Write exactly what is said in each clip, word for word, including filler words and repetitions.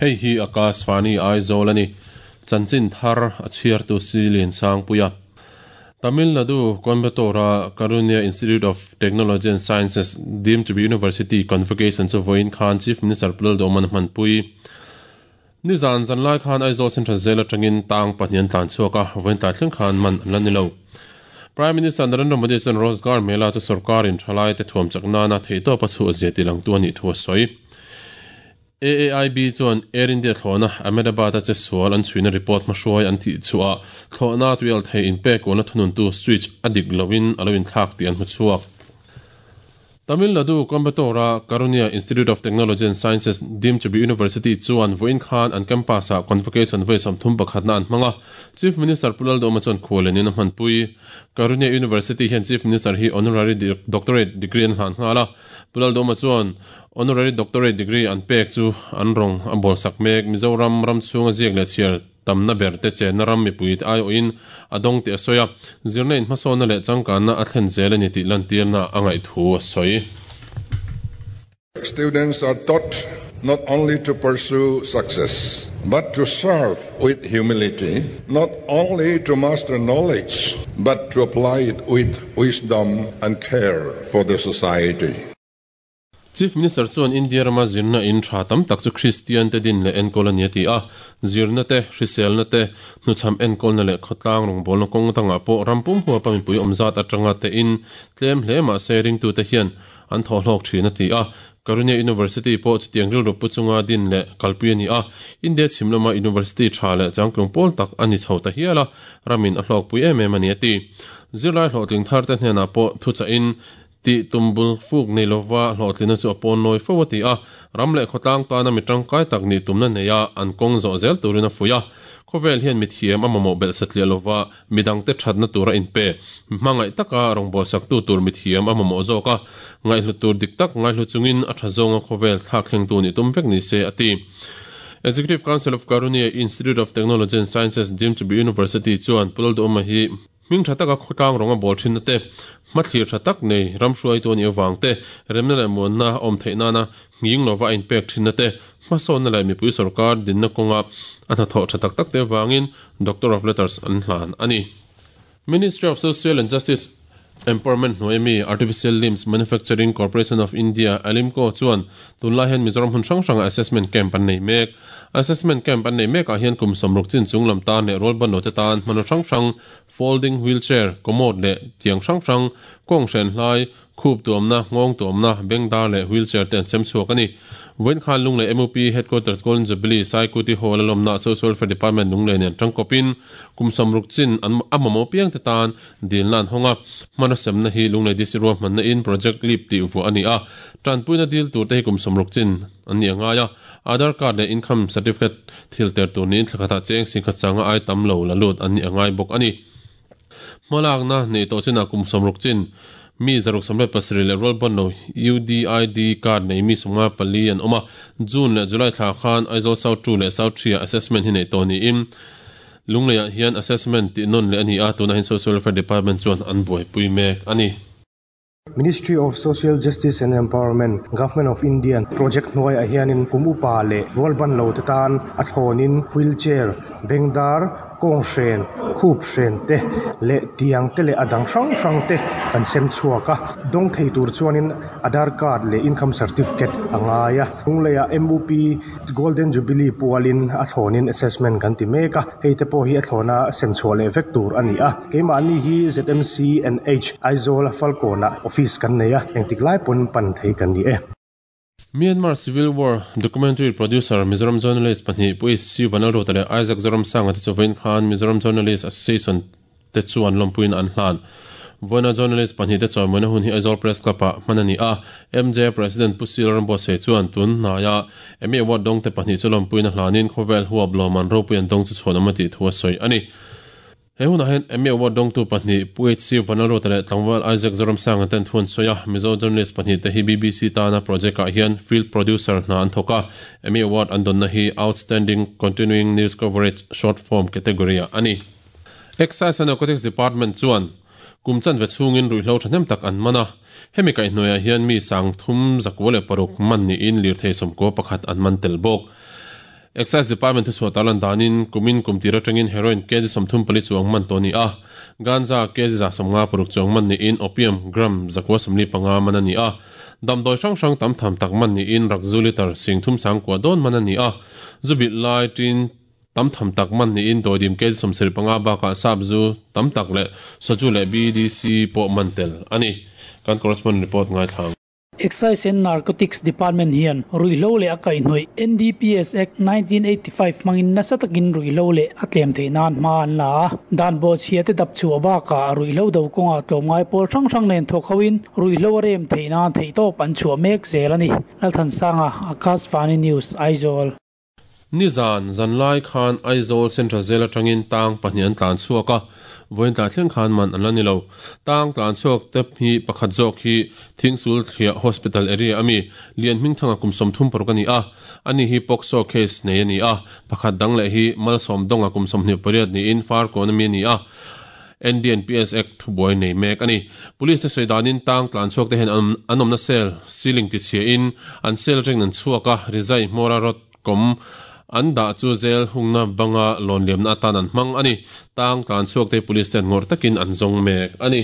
Hei hi Akashvani Aizawl a ni. Chanchin thar a chhiartu Silian Sangpuia. Tamil Nadu Coimbatore Karunya Institute of Technology and Sciences deemed to be University Convocation chu vawiin khan Chief Minister Pu Lalduhawma hmanpui. Nizan zanlai khan Aizawl Central Jail atangin tang pahnih an tlan chhuak a, vawiin tlai thleng khan man an la ni lo. Prime Minister Narendra Modi chuan Rozgar Mela chu sorkarin thalai te thuam chak nana theihtawp a chhuah zia tilangtu a nih thu a sawi. A A I B chuan Air India thlawhna Ahmedabad a che sual an chhuina report hmahruai an tih chhuah thlawhna tuial thei inpek kualna thununtu switch a dik loin a lo inthlak tih an hmu chhuak. Tamil Nadu Coimbatore Karunya Institute of Technology and Sciences deemed to be University chuan vawiin khan an campus ah convocation vawi sawmthum pakhatna an hmang a, Chief Minister Pu Lalduhawma chuan khualenin a hmanpui. Karunya University hian Chief Minister hi honorary doctorate degree an hlan nghal a, Pu Lalduhawma chuan honorary doctorate degree an pek chu an rawng a bawlsak mek. Mizoram ram chhunga ziak leh chhiar tamna ber te chenna ram mipui te aiawhin a dawng tih a sawi a, zirna in hmasawnna leh changkanna a thlen zel a ni tih lantirna a ngaih thu a sawi. Students are taught not only to pursue success, but to serve with humility, not only to master knowledge, but to apply it with wisdom and care for the society. Chief Minister chuan India rama zirna in tha tam tak chu Christian te din leh enkawl a ni a ti a, zirna te, hriselna te, hnuchham enkawlna leh khawtlang rawngbawlna kawng dangah pawh ram pum huapa mipui awm zat atanga te in tlem hle mahse ringtute hian an thawhhlawk thin a ti a. Karunya University pawh chutiang rilru pu chunga din leh kalpui a ni a, India chhim lama University tha leh changtlung pawl tak a ni chho ta hial a, ramin a hlawkpui em em a ni a ti. Zirlai hlawhtling thar te hnenah pawh thuchahin ti tumbul fuk nei lova hlawhtlina chu a pawn nawi fo a ti a, ram leh khawtlang tana mi tangkai tak nih tumna nei a an kawng zawh zel turin a fuih a. Khawvel hian mithiam a mamawh belh satliah lova midangte thatna tura inpe hmangaih taka rawngbawlsak tu tur mithiam a mamawh zawk a, ngaihhlu tur dik tak ngaihhlu chungin a tha zawnga khawvel thlak thlengtu nih tum vek ni se a ti. Executive Council of Karunya Institute of Technology and Sciences deemed to be University chuan Pu Lalduhawma hi hming tha taka khawtlang rawnga bawl thinna te, hmathlir tha tak nei ram hruaitu a nih avang te, remna leh muanna awm theih nana nghing lova a inpek thinna te, hmasawnna leh mipui sorkar dinna kawnga a hnathawh tha tak tak te avangin Doctor of Letters an hlan a ni. Ministry of Social and Justice Empowerment hnuai mi Artificial Limbs Manufacturing Corporation of India Alimco chuan tunlai hian Mizoram hmun hrang hranga assessment camp an nei mek. Assessment camp an nei mekah hian kum sawmruk chin chung lam tan leh rualban lo te tan hmanraw hrang hrang folding wheelchair, commode leh tiang hrang hrang, kawng hren hlai, khup tuamna, ngawng tuamna, bengdar leh wheelchair te an chem chhuak a ni. Vawiin khan Lunglei M U P Headquarters Golden Jubilee Saikuti Hall a lawmna Social Welfare Department Lunglei nen tangkawpin kum sawmruk chin an a mamawh piang te tan dilna an hawng a, hmanraw semna hi Lunglei D C ruahmanna in Project Leap tih vuah a ni a, tanpuina dil tur te hi kum sawmruk chin an ni a ngai a, Aadhaar card leh income certificate thil ter tur niin thlakhatah cheng singkhat changa ai tam lo la lut an ni a ngai bawk a ni. Hmalakna nei tawh chinah kum sawmruk chin mi zaruk sawmriat pasarih leh rualban lo U D I D card nei mi sawmnga pali an awm a, June leh July thla khan Aizawl South two leh South three ah assessment hi nei tawh niin Lungleiah hian assessment tih nawn leh a ni a, tunah hian Social Welfare Department chuan an buaipui mek a ni. Ministry of Social Justice and Empowerment, Government of India project hnuaiah hianin kum upa leh rualban lo te tan a thlawnin wheelchair, bengdar, kawng hren, khup hren te leh tiang te leh a dang hrang hrang te kan sem chhuak a, dawng thei tur chuanin Aadhaar card leh income certificate a ngai a. Lungleiah M U P Golden Jubilee pualin a thlawnin assessment kan ti mek a, hei te pawh hi a thlawna sem chhuah leh vek tur a ni a. Keimahni hi Z M C N H Aizawl Falkawnah office kan nei a, engtik lai pawn pan thei kan ni e. Myanmar Civil War documentary producer Mizoram journalist pahnih Pu H C Vanlalruata leh Isaac Zoramsanga te chu vawiin khan Mizoram Journalist Association te chuan lawmpuiin an hlan. Vawiina journalist pahnih te chawimawina hun hi Aizawl Press Club ah hman a ni a, M J President Pu Sil Rambuatsaih chuan tun hnaia Emmy Award dawng te pahnih chu lawmpuiin a hlanin khawvel huap lawman ropui an dawng chu chhuan awm a tih thu a sawi a ni. He hunah hian Emmy Award dawngtu pahnih Pu H C Vanlalruata leh tlangval Isaac Zoramsanga ten thu an sawi a, Mizo journalist pahnih te hi B B C tana project ah hian field producer hna an thawk a, Emmy Award an dawnna hi Outstanding Continuing News Coverage Short Form category ah a ni. Excise and Narcotics Department chuan kum chanve chhungin ruihhlo thahnem tak an man a, hemi kaihhnuaiah hian mi sang thum zakua leh paruk man niin lirthei sawmkua pakhat an man tel bawk. Excise Department thu chhuah tarlan danin kumin kum tir atangin heroin kg sawmthum pali chuang man to ni a ganja kg za sawmnga paruk chuang man niin opium gram zakua sawmli panga man ani a damdawi hrang hrang tam tham tak man niin rakzu liter sing thum sangkua dawn man ani a zubi lai tin tam tham tak man niin doidim kg sawmsarih panga bakah sapzu tam tak leh soju leh B D C pawh man tel ani kan correspondent report ngai thlang. Excise and Narcotics Department hian ruihhlo leh a kaihhnawih N D P S Act nineteen eighty-five hmangin nasa takin ruihhlo leh a tlem theih nan hma an la a dan bawh chhia te dap chhuah bakah ruihhlo do kawngah tlawmngai pawl hrang hrang nen thawk hoin ruihhlo a rem theih nan theih tawp an chhuah mek zel ani. Lalthansanga, Akashvani News, Aizawl. Nizan zanlai khan Aizawl Central Jail atangin tang pahnih an tlan chhuak a voin tla thleng khan man an la ni lo tang tlan chhuak te hi pakhat zawk hi Thingsul Thliah Hospital area ami lian hming thanga kum sawmthum paruk ani a ani hi POCSO case nei ani a pakhat dang leh hi malsawm donga kum sawmhnih pariat niin Farkawn ami ani a N D N P S Act thubuai nei mek ani. Police te sawidanin tang tlan chhuak te hian an awmna cell ceiling ti chhia in an cell reng an chhuak a rizai hmawra rot kom an dah chu zel hungna banga lawn liamna atan an hmang ani. Tang tlan chhuak te police ten ngawr takin an zawng mek ani.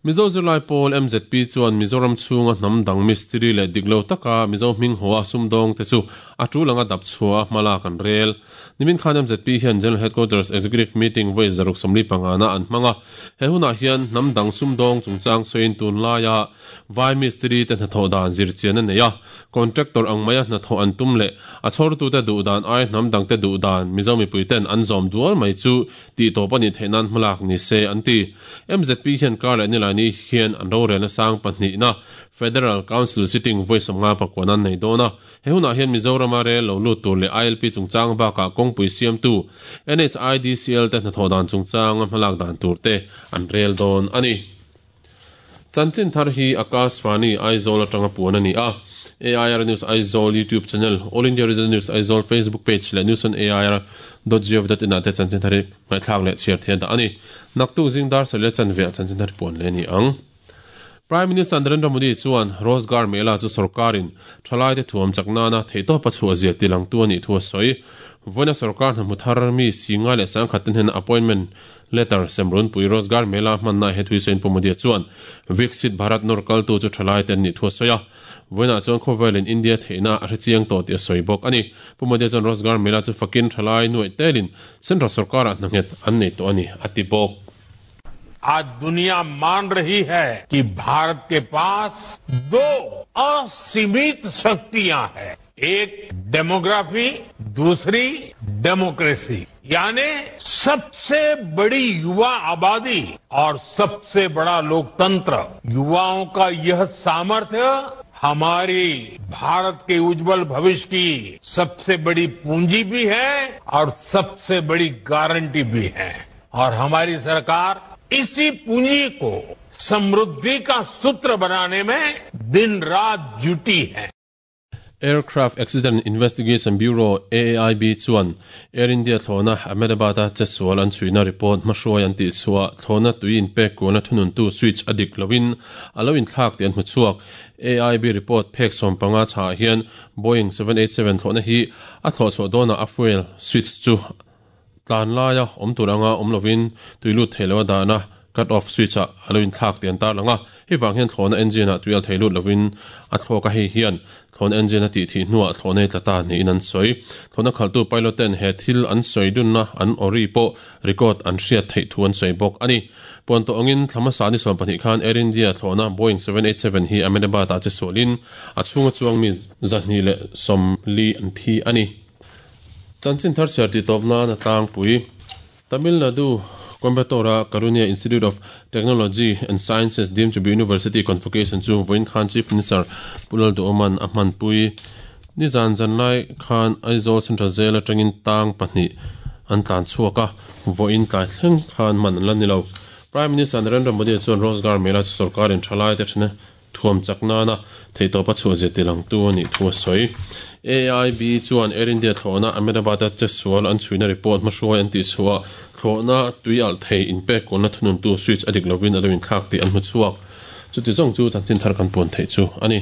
Mizo Zirlai Pawl M Z P chuan Mizoram chhunga hnam dang mistiri leh diklo taka Mizo hming hoa sumdawng te chu a tul anga dap chhuah hmala kan rel. Nimin khan M Z P hian General Headquarters Executive Meeting voi zaruk sawmli panga na an hmanga he hunah hian hnam dang sumdawng chungchang sawiin tun laia vai mistiri te hnathawh dan zir chian a nei a contractor ang maia hnathawh an tum leh a chhawrtu te duh dan ai hnam dang te duh dan Mizo mipui ten an zawm dual mai chu tih tawp ani theih nan hmalak ni se an ti. M Z P hian kar leh nilai ni hian an rorelna sang pahnih na Federal Council sitting voi sawmnga pakua an nei dawn a he hunah hian Mizoram a rel lo lut tur leh I L P chungchang bakah kawngpui siamtu N H I D C L te hnathawh dan chungchang a hmalak dan tur te an rel dawn ani. Chanchin thar hi Akashvani Aizawl atanga puan ani a A I R News Aizawl YouTube channel, All India Radio News Aizawl Facebook page leh news on A I R dot gov dot in ah te chanchin thar hi ngaihthlak leh chhiar thian dah ani. Naktuk zingdar sarih leh chanve ah chanchin thar hi puan leh ani ang. Prime Minister Narendra Modi chuan Rozgar Mela chu sarkarin thalai te thuam chakna na theitawp a chhuah zia tilang tu ani thu a sawi. Voina sarkar hna hmuthar mi singa leh sangkhat ten hian appointment letter semrun pui Rozgar Mela hmanna he thui sain Pu Modi chuan Viksit Bharat nor kal tu chu thalai ten ni thu a sawi a. Voina chuan khawvel in India theihna a hrechiang tawh tih a sawi bawk ani. Pu Modi chuan Rozgar Mela chu fakin thalai nuai telin Central sarkar ah hna nghet an nei tawh ani a ti bawk. आज दुनिया मान रही है कि भारत के पास दो असीमित शक्तियां हैं, एक डेमोग्राफी, दूसरी डेमोक्रेसी, यानी सबसे बड़ी युवा आबादी और सबसे बड़ा लोकतंत्र। युवाओं का यह सामर्थ्य हमारी भारत के उज्जवल भविष्य की सबसे बड़ी पूंजी भी है और सबसे बड़ी गारंटी भी है। और हमारी सरकार इसी पूंजी को समृद्धि का सूत्र बनाने में दिन रात जुटी है। Aircraft Accident Investigation Bureau A A I B chuan Air India thlawhna Ahmedabad a chesual an chhuina report hmahruai an tih chhuah thlawhna tui in pek kualna thunun tu switch a dik loin a lo inthlak tih an hmu chhuak. A I B report phek sawm panga chhah hian Boeing seven eight seven thlawhna hi a thlawh chhuah dawnah a fuel switch chu tlan laia awm tur anga awm lovin tuilut theilo a dahna cut off switch a alo inthlak tih an tar langa hei vang hian thlawhna engine ah tuial theilut lovin a thlawk a hei hian thlawhna engine a tih thih hnuah thlawhna hi tlata niin an sawi. Thlawhna khaltu pilot ten he thil an sawi dunna an ori pawh record an hriat theih thu an sawi bawk ani. Puan tawh angin thlamasa ni sawm pahnih khan Air India thlawhna Boeing seven eight seven hi Ahmedabad ah che sualin a chhunga chuang mi zahnih leh sawmli an thi ani. Chanchin thar chhiar ti tawp nan a tlangpui Tamil Nadu Coimbatore Karunya Institute of Technology and Sciences deemed to be University Convocation chu voin khan Chief Minister Pulal Duoman a hmanpui nizan zanlai khan Aizawl Central Jail atangin tang pahnih an tlan chhuak a voin tlai thleng khan man an la ni lo. Prime Minister Narendra Modi chuan Rozgar Mela chu sarkarin thalai te thena thuam chakna na theitawp a chhuah zia tilang tu ani thu a sawi. A I B chuan Air India thlawhna Ahmedabad a chesual an chhuina report hmahruai an tih chhuah thlawhna tui alh thei in pek kualna thunun tu switch a dik lovin a lo inthlak tih an hmu chhuak. Chuti zawng chu chanchin thar kan puan theih chu ani.